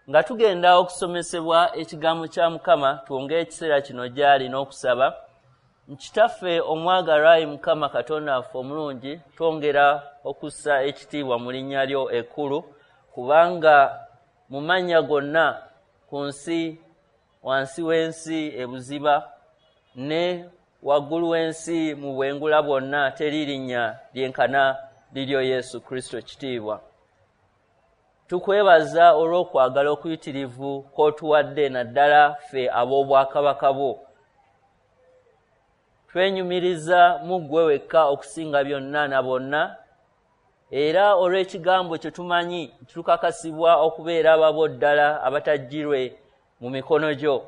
Nga tugenda okusomesebwa ekigambo kya Mukama, twongere ekiseera kino gy'ali n'okusaba. Kitaffe omwagalwa, ayi Mukama Katonda waffe omulungi, twongera okussa ekitiibwa mu linnya lyo ekkulu, kubanga mu mannya gonna ku nsi, wansi w'ensi ebuziba ne waggulu w'ensi mu bwengula bwonna, teri linnya lyenkana liryo Yesu Kristo kitiibwa. Tukwebaza olw'okwagala okuyitirivu kw'otuwadde, naddala ffe ab'obwakabaka bwo. Twenyumiriza mu ggwe wekka okusinga byonna na bonna, era olw'ekigambo kye tumanyi tukakasibwa okubeera ababo ddala abatajjirwe mu mikono gyo.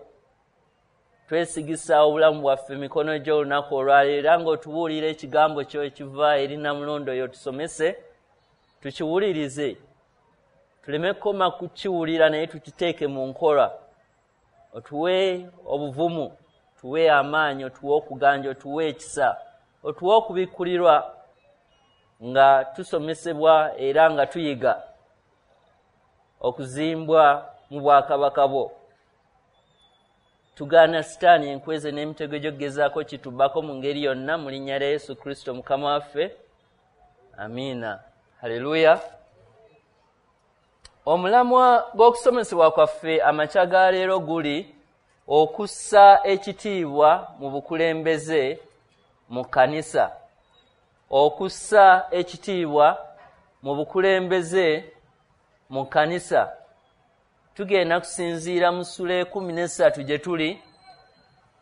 Twesigisa obulamu bwaffe mikono gyo olunaku olwaleero, era ng'otubuulira ekigambo kyo ekiva eri Namulondo yo, tusomese, tukiwulirize, tuleme kukoma kukiwulira naye tukiteeke mu nkola. Otuwe obuvumu, otuwe amaanyi, otuwe okuganja, otuwe ekisa, otuwe okubikkulirwa nga tusomesebwa era nga tuyiga okuzimbwa mu bwakabaka bwo. Tugaana Sitaani enkweze n'emitego gy'okugezaako kitubbako mu ngeri yonna, mu linnya lya Yesu Kristo Mukama waffe. Amiina. Haleluya. Omulamwa gw'okusomesebwa kwaffe amakya ga leero guli okussa ekitiibwa mu bukulembeze mu kkanisa. Okussa ekitiibwa mu bukulembeze mu kkanisa. Tugenda kusinziira mu ssula 13 gye tuli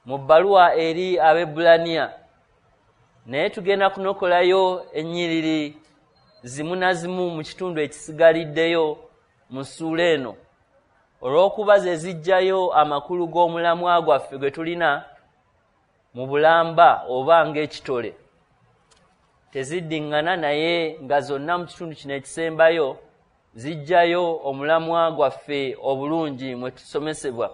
mu bbaluwa eri Abaebbulaniya, naye tugenda kunokolayo ennyiriri zimu na zimu mu kitundu ekisigaliddeyo mu ssuula eno, olw'okuba ze zijjayo amakulu g'omulamwa gwaffe gwe tulina mu bulamba oba ng'ekitole. Teziddiŋŋana, naye nga zonna mu kitundu kino ekisembayo zijjayo omulamwa gwaffe obulungi mwe tusomesebwa.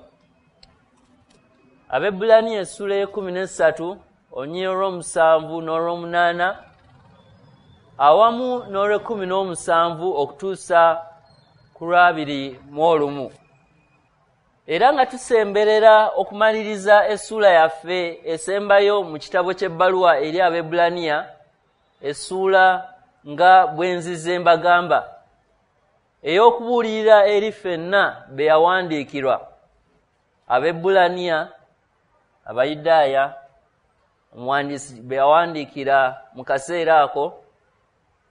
Abaebbulaniya essula 13, olunyiriri olw'omusanvu n'olw'omunaana awamu n'olw'e17 okutuusa ku lw'abiri mu olumu. Era nga tusemberera okumaliriza essuula yaffe esembayo mu kitabo ky'ebbaluwa eri Abaebbulaniya, essuula nga bwe nzize mbagamba ey'okubuulirira eri ffenna be yawandiikirwa, Abaebbulaniya, Abayudaaya, omuwandiisi be yawandiikira mu kaseera ako,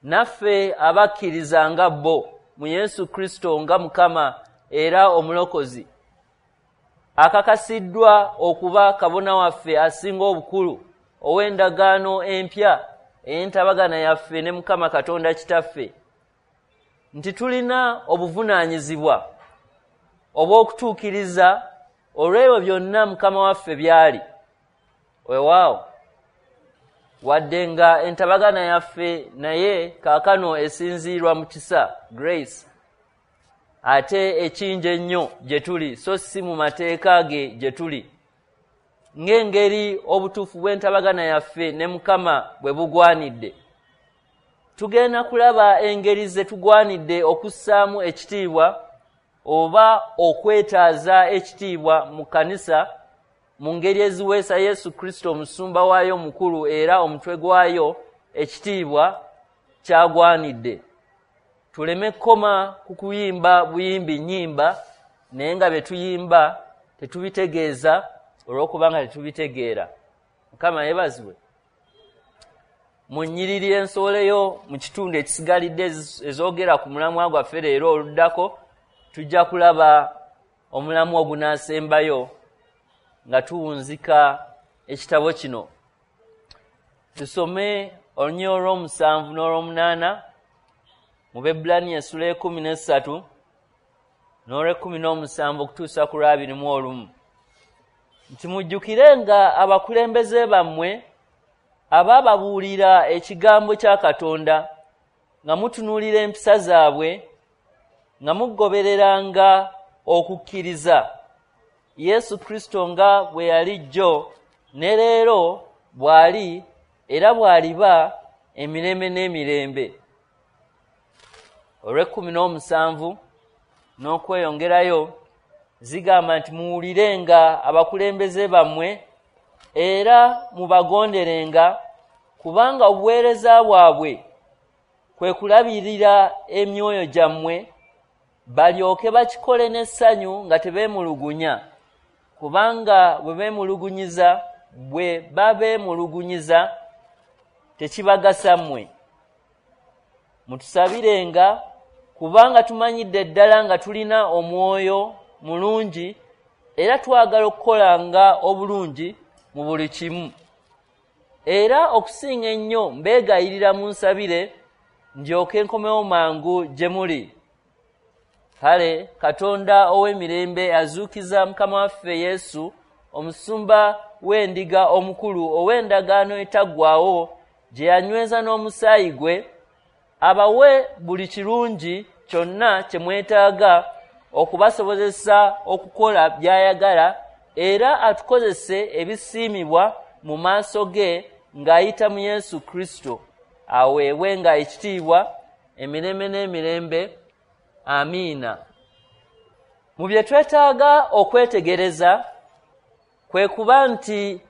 naffe abakkiriza nga bo mu Yesu Kristo nga Mukama era Omulokozi, akakasiddwa okuba kabona waffe asinga obukulu ow'endagaano empya ey'entabagana yaffe ne Mukama Katonda Kitaffe, nti tulina obuvunaanyizibwa obw'okutuukiriza olw'ebyo byonna Mukama waffe by'ali. Weewaawo, wadde nga entabagana yaffe naye kaakano esinziirwa mu kisa, grace, ate ekingi ennyo gye tuli, so si mu mateeka ge gye tuli, ng'engeri obutuufu bw'entabagana yaffe ne Mukama bwe bugwanidde. Tugenda kulaba engeri ze tugwanidde okussaamu ekitiibwa oba okwetaaza ekitiibwa mu kkanisa mu ngeri eziweesa Yesu Kristo omusumba waayo omukulu era omutwe gwayo ekitiibwa kyagwanidde. Tuleme kukoma ku kuyimba buyimbi nnyimba, naye nga bye tuyimba tetubitegeeza olw'okubanga tetubitegeera. Mukama yeebazibwe. Mu nnyiriri ensowoleyo mu kitundu ekisigalidde ezoogera ku mulamwa gwaffe leero oluddako, tujja kulaba omulamwa ogunaasembayo nga tuwunzika ekitabo kino. Tusome olunyiriri olw'omusanvu n'olw'omunaana mu Baebbulaniya essula 13 n'olw'e17 okutuusa ku lw'abiri mu olumu, nti mujjukire nga abakulembeze bammwe abaababuulira ekigambo kya Katonda, nga mutunuulira empisa zaabwe, nga mugobereranga okukkiriza Yesu Kristo nga bwe yali jjo ne leero bw'ali era bw'aliba emirembe n'emirembe. Olw'e17, n'okweyongerayo zigamba nti muwulirenga abakulembeze bammwe era mubagonderenga, kubanga obuweereza bwabwe kwe kulabirira emyoyo gyammwe, balyoke bakikole n'essanyu nga tebeemulugunya, kubanga bwe babeemulugunyiza tekibagasa mmwe. Mutusabirenga, kubanga tumanyidde ddala nga tulina omwoyo mulungi era twagala okukolanga obulungi mu buli kimu. Era okusinga ennyo mbeegayirira munsabire ndyoke nkomewo mangu gye muli. Kale Katonda ow'emirembe azuukiza Mukama waffe Yesu, omusumba w'endiga omukulu ow'endagaano etaggwaawo gye yanyweza n'omusaayi gwe, abawe buli kirungi kyonna kye mwetaaga okubasobozesa okukola by'ayagala, era atukozese ebisiimibwa mu maaso ge ng'ayita mu Yesu Kristo, aweebwenga ekitiibwa emirembe n'emirembe. Amiina. Mu bye twetaaga okwetegereza kwe kuba nti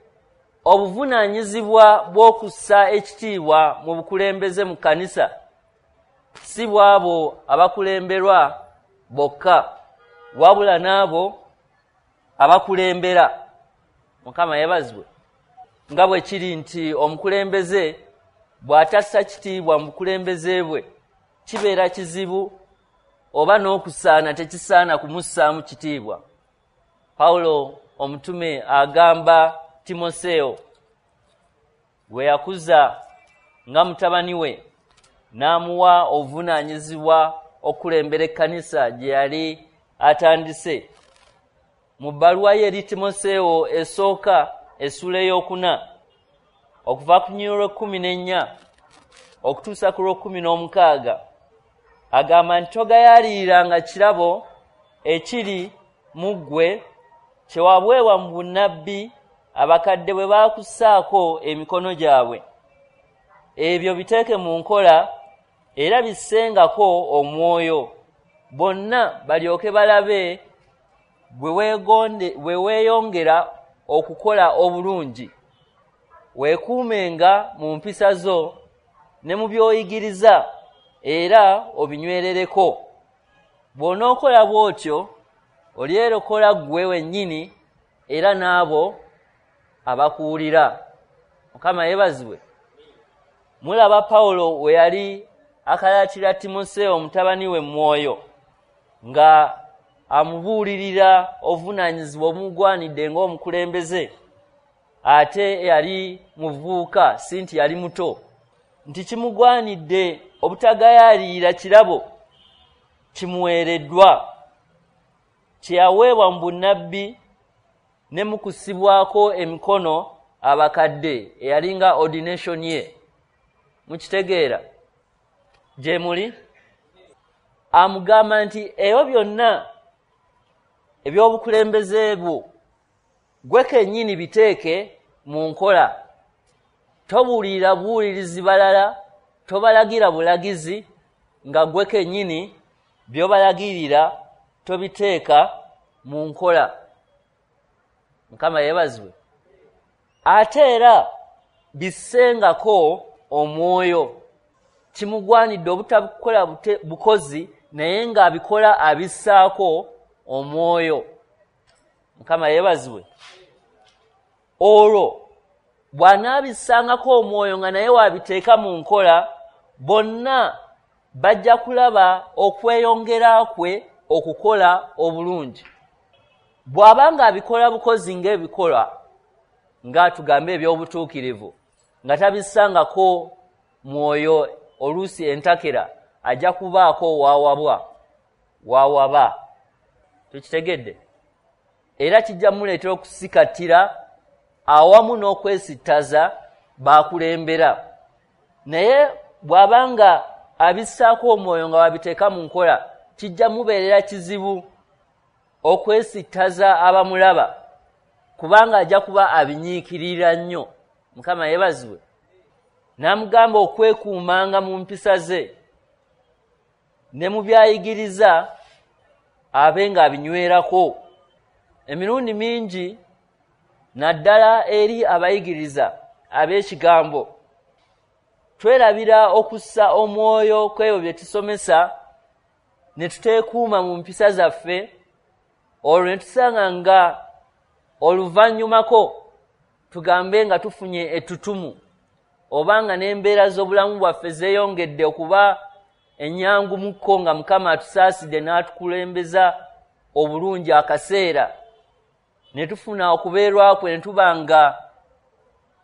obuvunaanyizibwa bw'okussa ekitiibwa mu bukulembeze mu kkanisa si bw'abo abakulemberwa bokka, wabula n'abo abakulembera. Mukama yeebazibwe. Nga bwe kiri nti omukulembeze bw'atassa kitiibwa mu bukulembeze bwe, kibeera kizibu oba n'okusaana tekisaana kumussaamu kitiibwa. Pawulo omutume agamba Timoseewo gwe yakuza nga mutabani we n'amuwa obuvunaanyizibwa okukulembera ekkanisa gye yali atandise. Mu bbaluwa ye eri Timoseewo esooka essula 4 okuva ku lunyiriri lw'e14 okutuusa ku lw'e16 agamba nti togayaliriranga kirabo ekiri mu ggwe kye waweebwa mu bunnabbi abakadde bwe baakussaako emikono gyabwe. Ebyo biteeke mu nkola era bissengako omwoyo, bonna balyoke balabe bwe weeyongera okukola obulungi. Weekuumenga mu mpisa zo ne mu by'oyigiriza, era obinywerereko. Bw'onookola bw'otyo olyerokola ggwe wennyini era n'abo abakuwulira. Mukama yeebazibwe. Mulaba Pawulo we yali akalaatira Timoseewo mutabani we mwoyo nga amubuulirira obuvunaanyizibwa obumugwanidde ng'omukulembeze, ate yali muvubuka, si nti yali muto, nti kimugwanidde obutagayaalirira kirabo kimuweereddwa kye yaweebwa mu bunnabbi ne mu kussibwako emikono abakadde, eyalinga ordination ye. Mukitegeera gye muli? Amugamba nti ebyo byonna eby'obukulembeze bwo gwe kennyini biteeke mu nkola. Tobuulirira buwulirizi balala, tobalagira bulagizi, nga gwe kennyini by'obalagirira tobiteeka mu nkola. Mukama yeebazibwe. Ate era bissengako omwoyo. Kimugwanidde obutabukola bukozi, naye ng'abikola abissaako omwoyo. Mukama yeebazibwe. Olwo bw'anaabissangako omwoyo nga naye wabiteeka mu nkola, bonna bajja kulaba okweyongera kwe okukola obulungi. Bw'aba ng'abikola bukozi ng'ebikola ng'atugambe eby'obutuukirivu, nga tabissangako mwoyo, oluusi entakera ajja kubaako waawaba. Tukitegedde? Era kijja muleetera okusikatira awamu n'okwesittaza bakulembera. Naye bw'aba nga abissaako omwoyo nga wabiteeka mu nkola, kijja mubeerera kizibu okwesittaza abamulaba, kubanga ajja kuba abinyiikirira nnyo. Mukama yeebazibwe. N'amugamba okwekuumanga mu mpisa ze ne mu byayigiriza abe ng'abinywerako. Emirundi mingi naddala eri abayigiriza ab'ekigambo twerabira okussa omwoyo kw'ebyo bye tusomesa ne tuteekuuma mu mpisa zaffe, olwo ne tusanga nga oluvannyumako tugambe nga tufunye ettutumu oba nga n'embeera z'obulamu bwaffe zeeyongedde okuba ennyangu mukko nga Mukama atusaasidde n'atukulembeza obulungi akaseera ne tufuna okubeerwa kwe ne tuba nga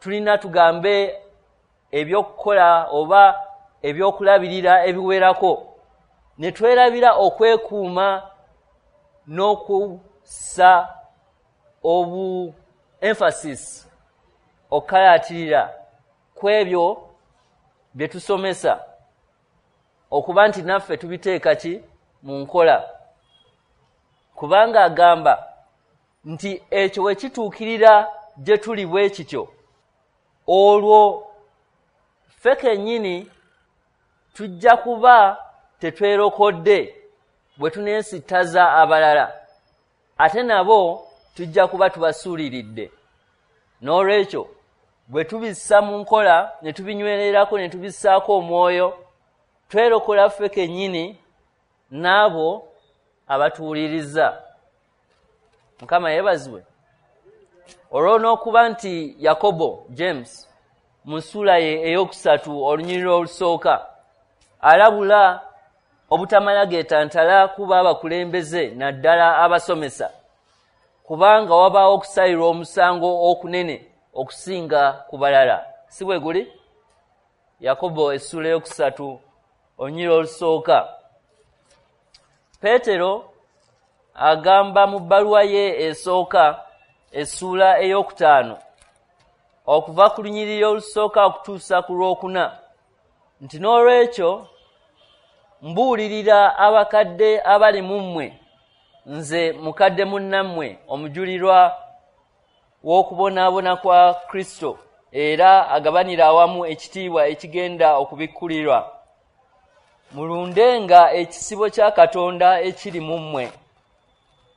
tulina tugambe ebyokukola oba ebyokulabirira ebiwerako, ne twerabira okwekuuma n'okussa obu emphasis okukalatirira ku ebyo bye tusomesa okuba nti naffe tubiteeka ki mu nkola. Kubanga agamba nti ekyo we kituukirira gye tuli bwe kityo, olwo ffe kennyini tujja kuba tetwerokodde bwe tuneesittaza abalala, ate nabo tujja kuba tubasuuliridde. N'olwekyo bwe tubissa mu nkola ne tubinywererako ne tubissaako omwoyo, twerokola ffe kennyini n'abo abatuwuliriza. Mukama yeebazibwe. Olwo n'okuba nti Yakobo James mu ssuula ye 3 olunyiriri olusooka alabula obutamala geetantala kuba abakulembeze naddala abasomesa, kubanga wabaawo okusalirwa omusango okunene okusinga ku balala. Si bwe guli? Yakobo essuula 3 olunyiriri olusooka. Peetero agamba mu bbaluwa ye esooka essuula 5 okuva ku lunyiriri olusooka okutuusa ku lwokuna nti n'olwekyo mbuulirira abakadde abali mu mmwe, nze mukadde munnammwe omujulirwa w'okubonaabona kwa Kristo era agabanira awamu ekitiibwa ekigenda okubikkulirwa, mulundenga ekisibo kya Katonda ekiri mu mmwe,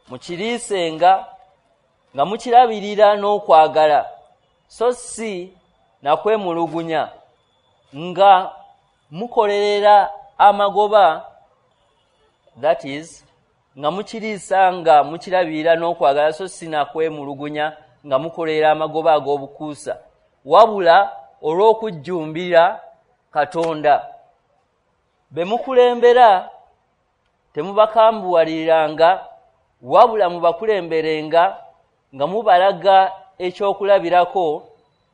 mukiriisenga nga mukirabirira n'okwagala, so si na kwemulugunya, nga mukolerera amagoba, that is nga mukiriisa nga mukirabirira n'okwagala, so si na kwemulugunya nga mukolerera amagoba ag'obukuusa, wabula olw'okujjumbira Katonda. Be mukulembera temubakambuwaliriranga, wabula mubakulemberenga nga mubalaga ekyokulabirako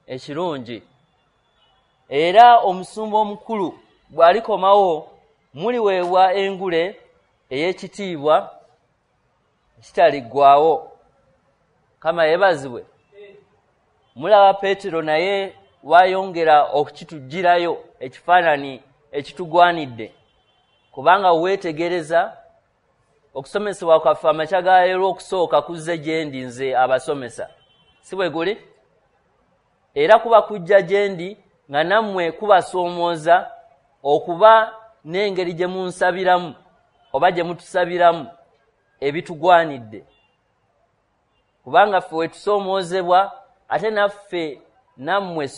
ekirungi. Era omusumba omukulu bw'alikomawo muliweebwa engule ey'ekitiibwa ekitaliggwaawo. Mukama yeebazibwe. Mulaba Peetero naye wayongera okukituggyirayo ekifaananyi ekitugwanidde, kubanga weetegereza okusomesebwa kwaffe amakya ga leero okusooka kuzze gye ndi nze abasomesa, si bwe guli? Era kuba kujja gye ndi nga nammwe kubasoomooza okuba n'engeri gye munsabiramu oba gye mutusabiramu ebitugwanidde, kubanga ffe wetusoomoozebwa ate naffe nammwe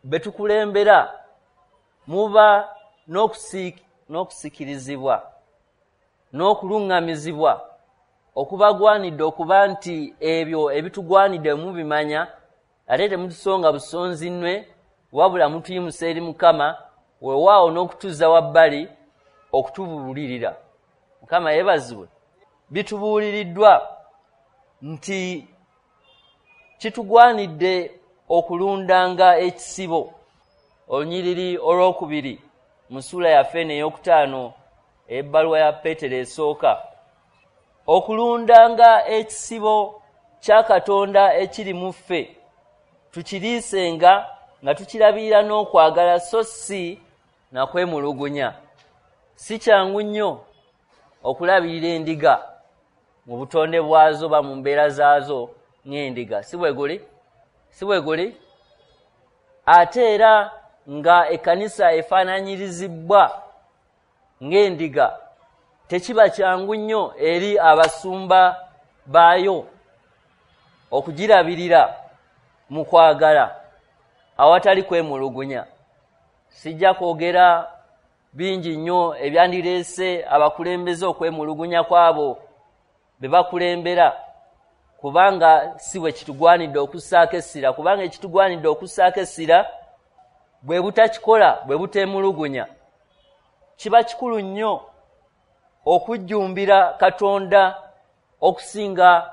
be tukulembera muba n'okusikirizibwa n'okuluŋŋamizibwa okubagwanidde okuba nti ebyo ebitugwanidde mubimanya, ate temutusonga busonzi nnwe, wabula mutuyimusa eri Mukama, weewaawo n'okutuzza wabbali okutubuulirira. Mukama yeebazibwe. Bitubuuliriddwa nti kitugwanidde okulundanga ekisibo. Olunyiriri 2 mu ssuula yaffe eno 5 ebbaluwa ya Peetero esooka, okulundanga ekisibo kya Katonda ekiri mu ffe, tukiriisenga nga tukirabirira n'okwagala, so si na kwemulugunya. Si kyangu nnyo okulabirira endiga mu butonde bwazo ba mu mbeera zaazo ng'endiga, si bwe guli? Si bwe guli? Ate era nga ekkanisa efaananyirizibwa ng'endiga, Tekiba kyangu nnyo eri abasumba baayo okugirabirira mu kwagala awatali kwemulugunya. Sijja kwogera bingi nnyo ebyandireese abakulembeze okwemulugunya kwabo be bakulembera, kubanga si bwe kitugwanidde okussaako essira, kubanga ekitugwanidde okussaako essira bwe butakikola, bwe buteemulugunya. Kiba kikulu nnyo okujjumbira Katonda okusinga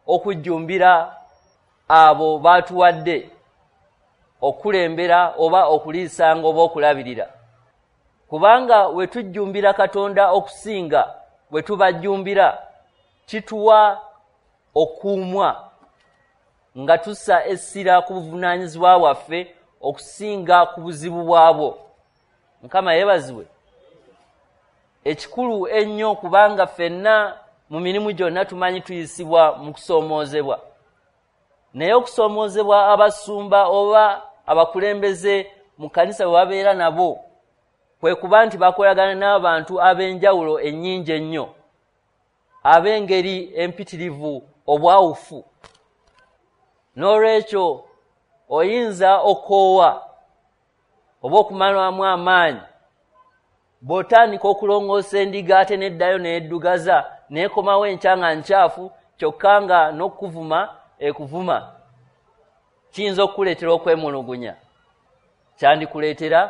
okujjumbira abo baatuwadde okulembera oba okuliisanga oba okulabirira, kubanga we tujjumbira Katonda okusinga bwe tubajjumbira kituwa okuumwa nga tussa essira ku buvunaanyizibwa bwaffe okusinga ku buzibu bwabwo. Mukama yeebazibwe. Ekikulu ennyo, kubanga ffenna mu mirimu gyonna tumanyi tuyisibwa mu kusoomoozebwa, naye okusoomoozebwa abasumba oba abakulembeze mu kkanisa bwe babeera nabo kwe kuba nti bakolagana n'abantu ab'enjawulo ennyingi ennyo, ab'engeri empitirivu, obwawufu. N'olwekyo oyinza okoowa oba okumalwamu amaanyi bw'otandika okulongoosa endiga ate n'eddayo n'eddugaza n'ekomawo enkya nga nkyafu, kyokka nga n'okuvuma ekuvuma. Kiyinza okukuleetera okwemulugunya, kyandikuleetera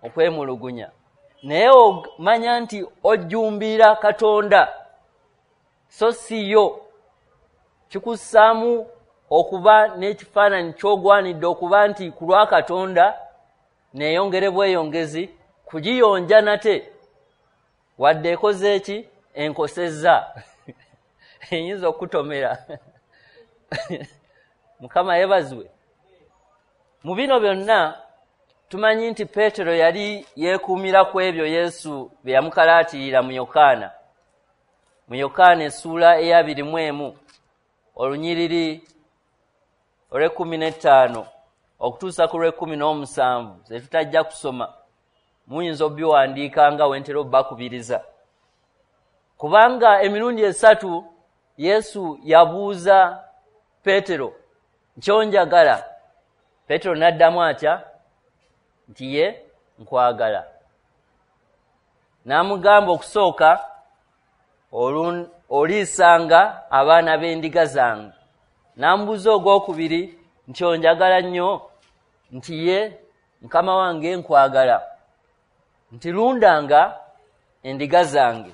okwemulugunya, naye omanya nti ojjumbira Katonda so si yo. Kikussaamu okuba n'ekifaananyi ky'ogwanidde okuba nti ku lwa Katonda neeyongere bweyongezi kugiyonja nate, wadde ekoze eki enkosezza eyinza okutomera. Mukama yeebazibwe. Mu bino byonna tumanyi nti Peetero yali yeekuumira ku ebyo Yesu bye yamukalaatirira mu Yokaana, mu Yokaana essuula eya 21 olunyiriri olw'e15 okutuusa ku lw'e17, ze tutajja kusoma, muyinza obiwandiika nga wentera obbakubiriza, kubanga emirundi 3 Yesu yabuuza Peetero nkyonjagala. Peetero n'addamu atya? Nti ye nkwagala. N'amugamba okusooka oliisanga abaana b'endiga zange. N'amubuuza ogwokubiri nti onjagala nnyo? Nti ye Mukama wange nkwagala. Nti lundanga endiga zange.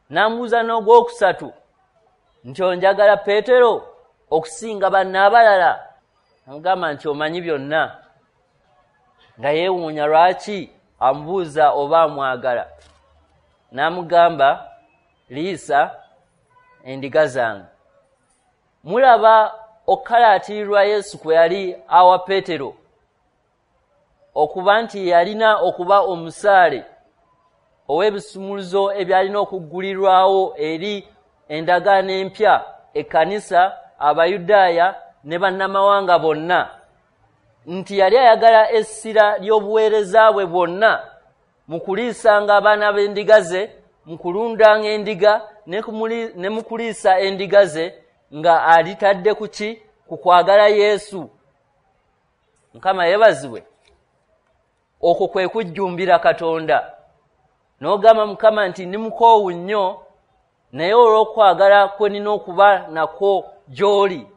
N'amubuuza n'ogwokusatu nti onjagala Peetero okusinga banne abalala? Amugamba nti omanyi byonna. Nga yeewuunya lwaki amubuuza oba amwagala. N'amugamba liisa endiga zange. Mulaba okukalaatirirwa Yesu kwe yali awa Peetero okuba nti yalina okuba omusaale ow'ebisumuluzo ebyalina okuggulirwawo eri endagaano empya, ekkanisa, Abayudaaya ne bannamawanga bonna, nti yali ayagala essira ly'obuweereza bwe bwonna mu kuliisanga abaana b'endiga ze, mu kulundanga endiga ne mu kuliisa endiga ze, nga alitadde ku ki? Ku kwagala Yesu. Mukama yeebazibwe. Okwo kwe kujjumbira Katonda. N'ogamba Mukama nti ndi mukoowu nnyo, naye olw'okwagala kwe nina okuba nakwo gy'oli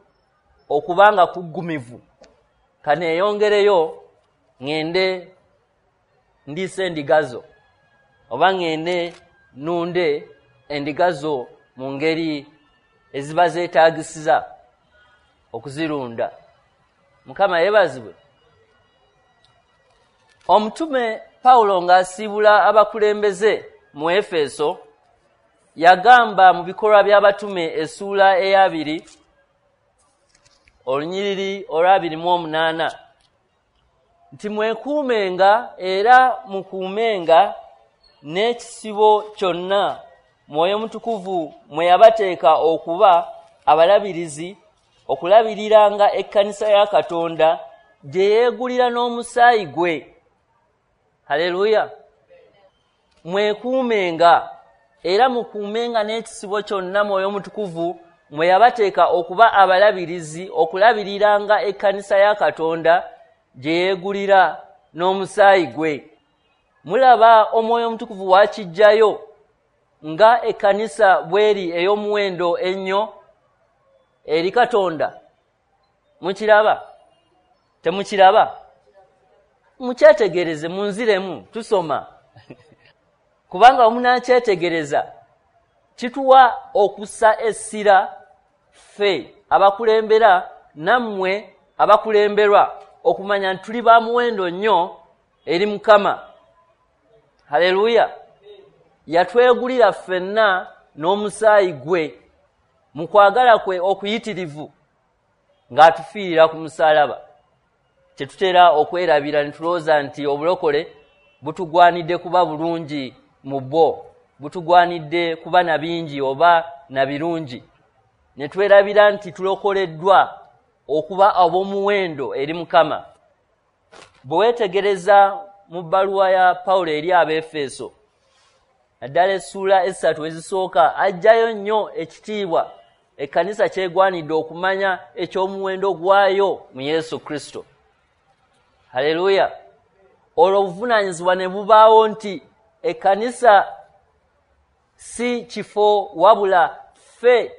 okuba nga kuggumivu, kaneeyongereyo ŋŋende ndiise endiga zo, oba ŋŋende nnunde endiga zo mu ngeri eziba zeetaagisiza okuzirunda. Mukama yeebazibwe. Omutume Pawulo ng'asiibula abakulembeze mu Efeso yagamba mu Bikolwa by'Abatume essuula eya 2 olunyiriri olwa 28 nti mwekuumenga era mukuumenga n'ekisibo kyonna Mwoyo Mutukuvu mwe yabateeka okuba abalabirizi, okulabiriranga ekkanisa ya Katonda gye yeegulira n'omusaayi gwe. Haleluya. Mwekuumenga. Era mukuumenga n'ekisibo kyonna Mwoyo Mutukuvu mwe yabateeka okuba abalabirizi, okulabiriranga ekkanisa ya Katonda gye yeegulira n'omusaayi gwe. Mulaba Omwoyo Omutukuvu wakiggyayo nga ekkanisa bw'eri ey'omuwendo ennyo eri Katonda. Mukiraba? Temukiraba? Mukyetegereze, munziremu, tusoma. Kubanga omunaakyetegereza kituwa okussa essira ffe abakulembera nammwe abakulemberwa okumanya nti tuli ba muwendo nnyo eri Mukama. Haleluya! Yatwegulira ffenna n'omusaayi gwe mu kwagala kwe okuyitirivu ng'atufiirira ku musaalaba. Tetutera okwerabira ne tulowooza nti obulokole butugwanidde kuba bulungi mu bwo, butugwanidde kuba na bingi oba na birungi, ne twerabira nti tulokoleddwa okuba ab'omuwendo eri Mukama. Bwe weetegereza mu bbaluwa ya Pawulo eri Abeefeso, naddala essuula 3 ezisooka, aggyayo nnyo ekitiibwa ekkanisa kyegwanidde okumanya eky'omuwendo gwayo mu Yesu Kristo. Haleluya! Olwo obuvunaanyizibwa ne bubaawo nti ekkanisa si kifo, wabula ffe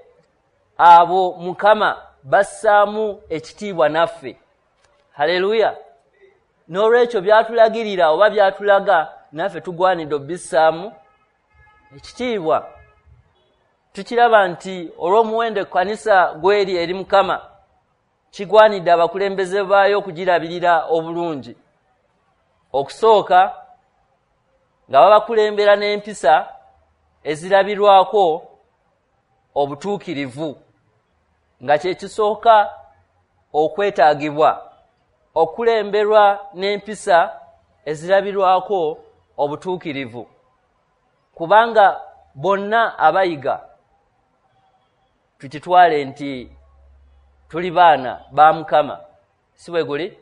abo Mukama bassaamu ekitiibwa naffe. Haleluya! N'olwekyo byatulagirira oba byatulaga naffe tugwanidde obbissaamu ekitiibwa. Tukiraba nti olw'omuwendo ekkanisa gw'eri eri Mukama, kigwanidde abakulembeze baayo okugirabirira obulungi. Okusooka nga babakulembera n'empisa ezirabirwako obutuukirivu, nga kye kisooka okwetaagibwa, okulemberwa n'empisa ezirabirwako obutuukirivu, kubanga bonna abayiga tukitwale nti tuli baana ba Mukama, si bwe guli?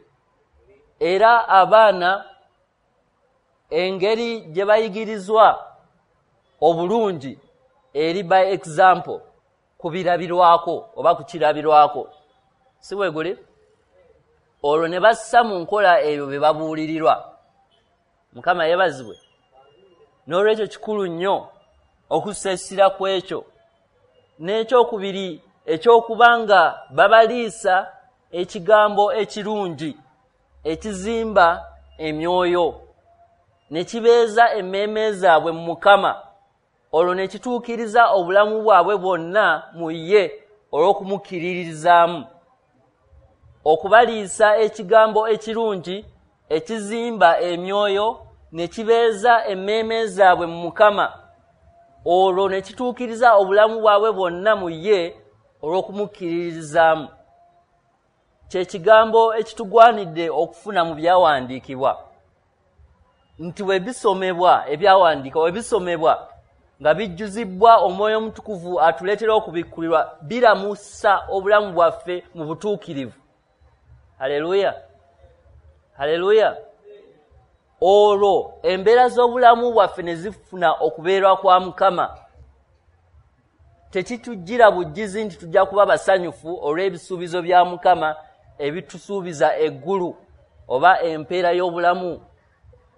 Era abaana engeri gye bayigirizwa obulungi eri by example, kubirabirwako oba kukirabirwako, si bwe guli? Olwo ne bassa mu nkola ebyo bye babuulirirwa. Mukama yeebazibwe. N'olwekyo kikulu nnyo okussa essira ku ekyo. N'ekyokubiri ekyokuba nga babaliisa ekigambo ekirungi ekizimba emyoyo ne kibeeza emmeeme zaabwe mu Mukama, olwo ne kituukiriza obulamu bwabwe bwonna mu ye olw'okumukkiririzaamu. Okubaliisa ekigambo ekirungi ekizimba emyoyo ne kibeeza emmeeme zaabwe mu Mukama, olwo ne kituukiriza obulamu bwabwe bwonna mu ye olw'okumukkiririzaamu. Kye kigambo ekitugwanidde okufuna mu byawandiikibwa, nti bwe bisomebwa ebyawandiikibwa, bwe bisomebwa nga bijjuzibwa Omwoyo Omutukuvu atuleetera okubikkulirwa, biramusa obulamu bwaffe mu butuukirivu. Haleluya! Haleluya! Olwo embeera z'obulamu bwaffe ne zifuna okubeerwa kwa Mukama. Tekitujjira bujjizi nti tujja kuba basanyufu olw'ebisuubizo bya Mukama ebitusuubiza eggulu oba empeera y'obulamu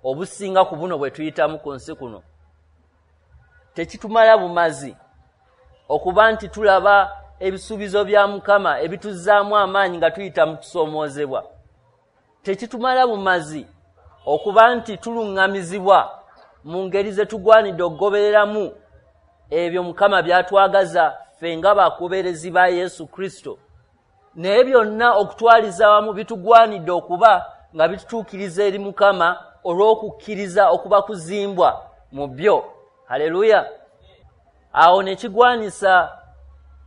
obusinga ku buno bwe tuyitamu ku nsi kuno. Tekitumala bumazi okuba nti tulaba ebisuubizo bya Mukama ebituzzaamu amaanyi nga tuyita mu kusoomoozebwa. Tekitumala bumazi okuba nti tuluŋŋamizibwa mu ngeri ze tugwanidde okugobereramu ebyo Mukama by'atwagaza ffe nga bagoberezi ba Yesu Kristo. Naye byonna okutwaliza wamu bitugwanidde okuba nga bitutuukiriza eri Mukama olw'okukkiriza okuba kuzimbwa mu byo. Haleluya! Awo ne kigwanisa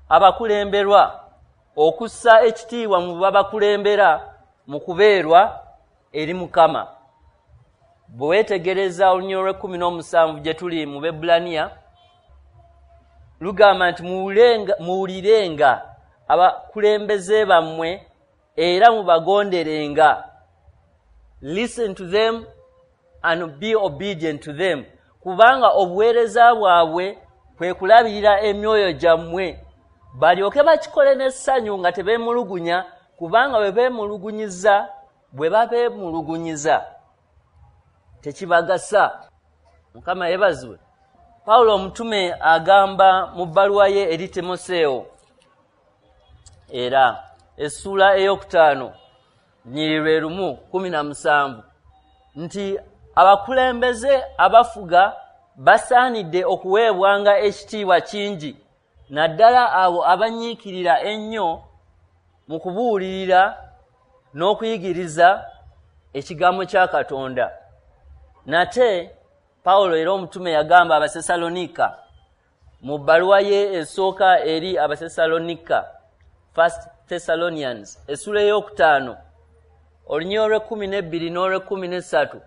abakulemberwa okussa ekitiibwa mu babakulembera mu kubeerwa eri Mukama. Bwe weetegereza olunyiriri olw'e17 gye tuli mu Bebbulaniya, lugamba nti muwulirenga abakulembeze bammwe era mubagonderenga. Listen to them and be obedient to them, kubanga obuweereza bwabwe kwe kulabirira emyoyo gyammwe, balyoke bakikole n'essanyu nga tebeemulugunya, kubanga bwe babeemulugunyiza tekibagasa. Mukama yeebazibwe. Pawulo omutume agamba mu bbaluwa ye eri Timoseewo, era essuula 5 nnyiriri 1:17 nti abakulembeze abafuga basaanidde okuweebwanga ekitiibwa kingi, naddala abo abanyiikirira ennyo mu kubuulirira n'okuyigiriza ekigambo kya Katonda. Nate Pawulo era omutume yagamba Abasesalonika mu bbaluwa ye esooka eri Abasesalonika, First Thessalonians, essuula 5 olunyiriri 12 n'olw'13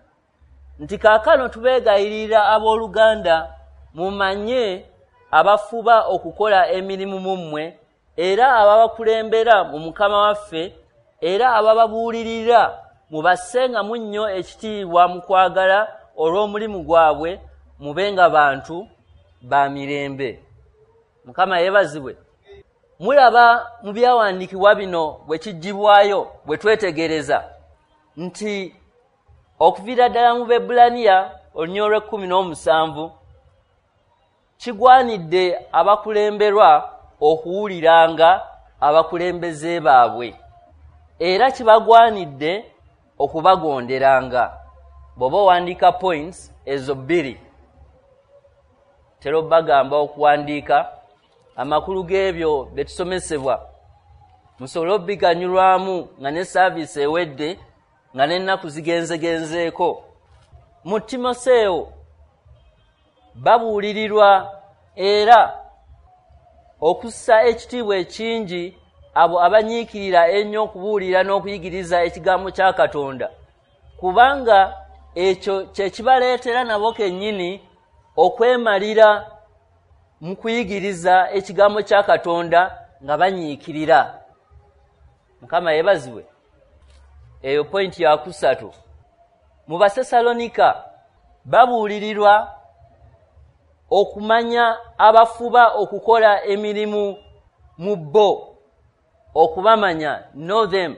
nti kaakano tubeegayirira abooluganda mumanye abafuba okukola emirimu mu mmwe, era ababakulembera mu Mukama waffe, era abababuulirira mubassengamu nnyo ekitiibwa mu kwagala olw'omulimu gwabwe, mubenga bantu ba mirembe. Mukama yeebazibwe. Mulaba mu byawandiikibwa bino bwe kijjibwayo bwe twetegereza nti okuviira ddala mu Bebbulaniya olunyiriri 17 kigwanidde abakulemberwa okuwuliranga abakulembeze baabwe, era kibagwanidde okubagonderanga. Bw'oba owandiika points ezo 2, tera bagamba okuwandiika amakulu g'ebyo bye tusomesebwa, musobole obiganyulwamu nga ne saaviisi ewedde, nga n'ennaku zigenzegenzeeko. Mu Timoseewo babuulirirwa era okussa ekitiibwa ekingi abo abanyiikirira ennyo okubuulira n'okuyigiriza ekigambo kya Katonda, kubanga ekyo kye kibaleetera nabo kennyini okwemalira mu kuyigiriza ekigambo kya Katonda nga banyiikirira. Mukama yeebazibwe. Eyo pointi ya 3. Mu Basesalonika babuulirirwa okumanya abafuba okukola emirimu mu bo, okubamanya, know them.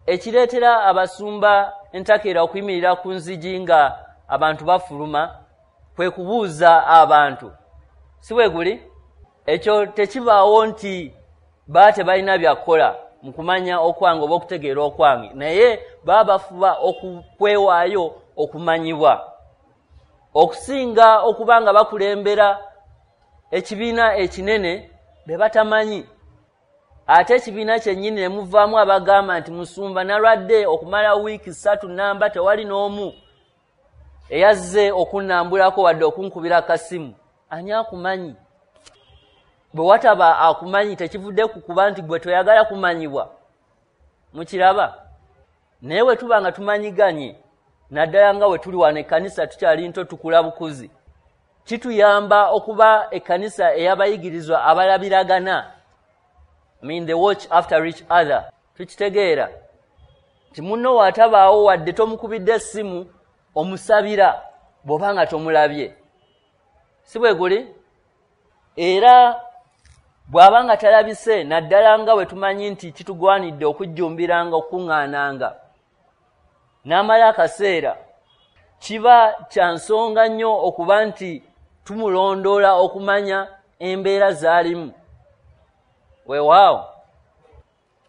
Ekireetera abasumba entakera okuyimirira ku nzigi nga abantu bafuluma kwe kubuuza abantu, si bwe guli? Ekyo tekibaawo nti baba tebalina byakukola mu kumanya okwange oba okutegeera okwange, naye baba bafuba okwewaayo okumanyibwa okusinga okuba nga bakulembera ekibiina ekinene be batamanyi. Ate ekibiina kyennyini ne muvaamu abagamba nti musumba nalwadde okumala wiiki 3 namba, tewali n'omu eyazze okunnambulako wadde okunkubira akasimu. Ani akumanyi? Bwe wataba akumanyi tekivudde ku kuba nti gwe toyagala kumanyibwa. Mukiraba? Naye bwe tuba nga tumanyiganye, naddala nga we tuli wano ekkanisa tukyali nto tukula bukuzi, kituyamba okuba ekkanisa ey'abayigirizwa abalabiragana. I mean they watch after each other. Tukitegeera nti munno watabaawo wadde tomukubidde essimu, omusabira bw'oba nga tomulabye, si bwe guli? Era bw'aba nga talabise, naddala nga bwe tumanyi nti kitugwanidde okujjumbiranga okukuŋŋaananga n'amala akaseera, kiba kya nsonga nnyo okuba nti tumulondoola okumanya embeera z'alimu. Weewaawo.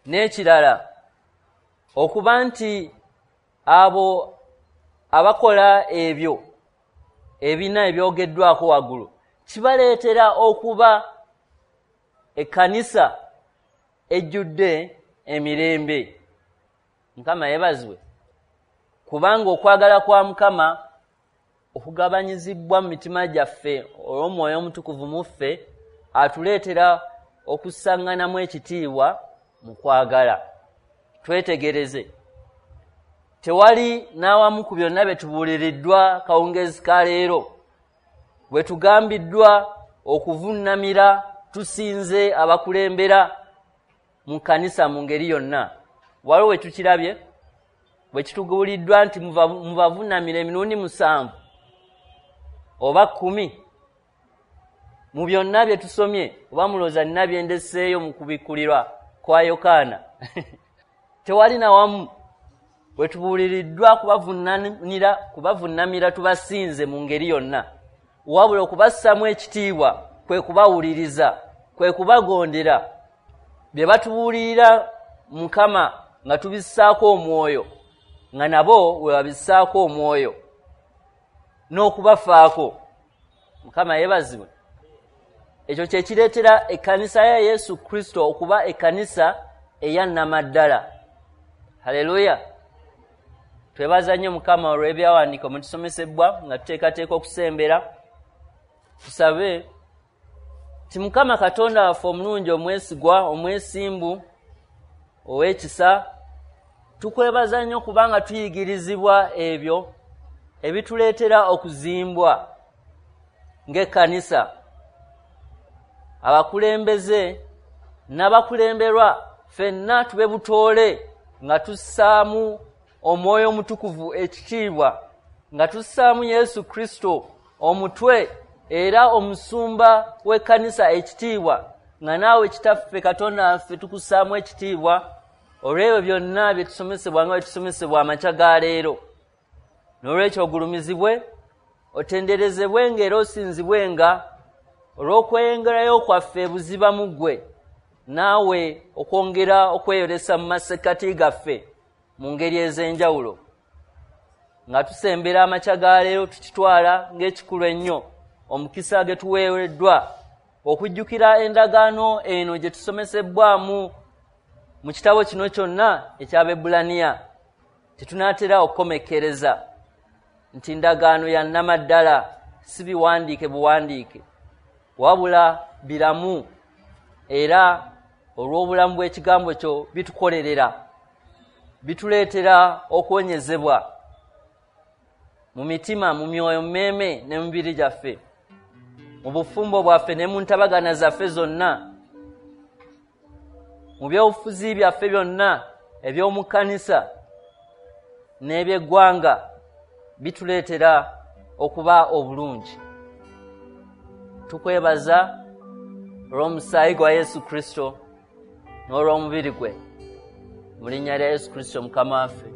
N'ekirala, okuba nti abo abakola ebyo ebina ebyogeddwako waggulu kibaleetera okuba ekkanisa ejjudde emirembe. Mukama yeebazibwe. Kubanga okwagala kwa Mukama okugabanyizibwa mu mitima gyaffe olw'Omwoyo Omutukuvu mu ffe atuleetera okussaŋŋanamu ekitiibwa mu kwagala. Twetegereze, tewali n'awamu ku byonna bye tubuuliriddwa kawungeezi ka leero bwe tugambiddwa okuvunnamira tusinze abakulembera mu kkanisa mu ngeri yonna. Waliwo we tukirabye bwe kituguliddwa nti mubavunnamira emirundi 7 oba 10. Mu byonna bye tusomye, oba mulowooza nina bye ndeseeyo mu kubikkulirwa kwa Yokaana? Tewali na wamu bwe tubuuliriddwa kubavunnamira tubasinze mu ngeri yonna, wabula okubassaamu ekitiibwa kwe kubawuliriza, kwe kubagondera. Bye batubuulirira Mukama nga tubissaako omwoyo, nga nabo we babissaako omwoyo n'okubafaako. Mukama yeebazibwe. Ekyo kye kireetera ekkanisa ya Yesu Kristo okuba ekkanisa eya nnamaddala. Haleluya! Twebaza nnyo Mukama olw'ebyawandiiko mwe tusomesebwa nga tuteekateeka okusembera. Tusabe ti Mukama Katonda waffe omulungi, omwesigwa, omwesimbu, ow'ekisa, tukwebaza nnyo kubanga tuyigirizibwa ebyo ebituleetera okuzimbwa ng'ekkanisa. Abakulembeze n'abakulemberwa ffenna tube butoole nga tussaamu Omwoyo Omutukuvu ekitiibwa, nga tussaamu Yesu Kristo omutwe era omusumba w'ekkanisa ekitiibwa, nga naawe Kitaffe Katonda waffe tukussaamu ekitiibwa olw'ebyo byonna bye tusomesebwa nga bwe tusomesebwa amakya ga leero. N'olwekyo ogulumizibwe, otenderezebwe ng'era osinzibwenga olw'okweyongerayo kwaffe ebuziba mu ggwe, naawe okwongera okweyolesa mu masekkati gaffe mu ngeri ez'enjawulo. Nga tusembera amakya ga leero, tukitwala ng'ekikulu ennyo omukisa ge tuweereddwa okujjukira endagaano eno gye tusomesebbwamu mu kitabo kino kyonna eky'Abaebbulaniya. Tetunaatera okukomekkereza nti ndagaano ya nnamaddala, si biwandiike buwandiike, wabula biramu, era olw'obulamu bw'ekigambo kyo bitukolerera, bituleetera okuwonyezebwa mu mitima, mu myoyo, mu mmeeme ne mu mibiri gyaffe, mu bufumbo bwaffe ne mu ntabagana zaffe zonna, mu byobufuzi byaffe byonna eby'omu kkanisa n'ebyeggwanga, bituleetera okuba obulungi. Tukwebaza olw'omusaayi gwa Yesu Kristo n'olw'omubiri gwe, mu linnya lya Yesu Kristo Mukama waffe.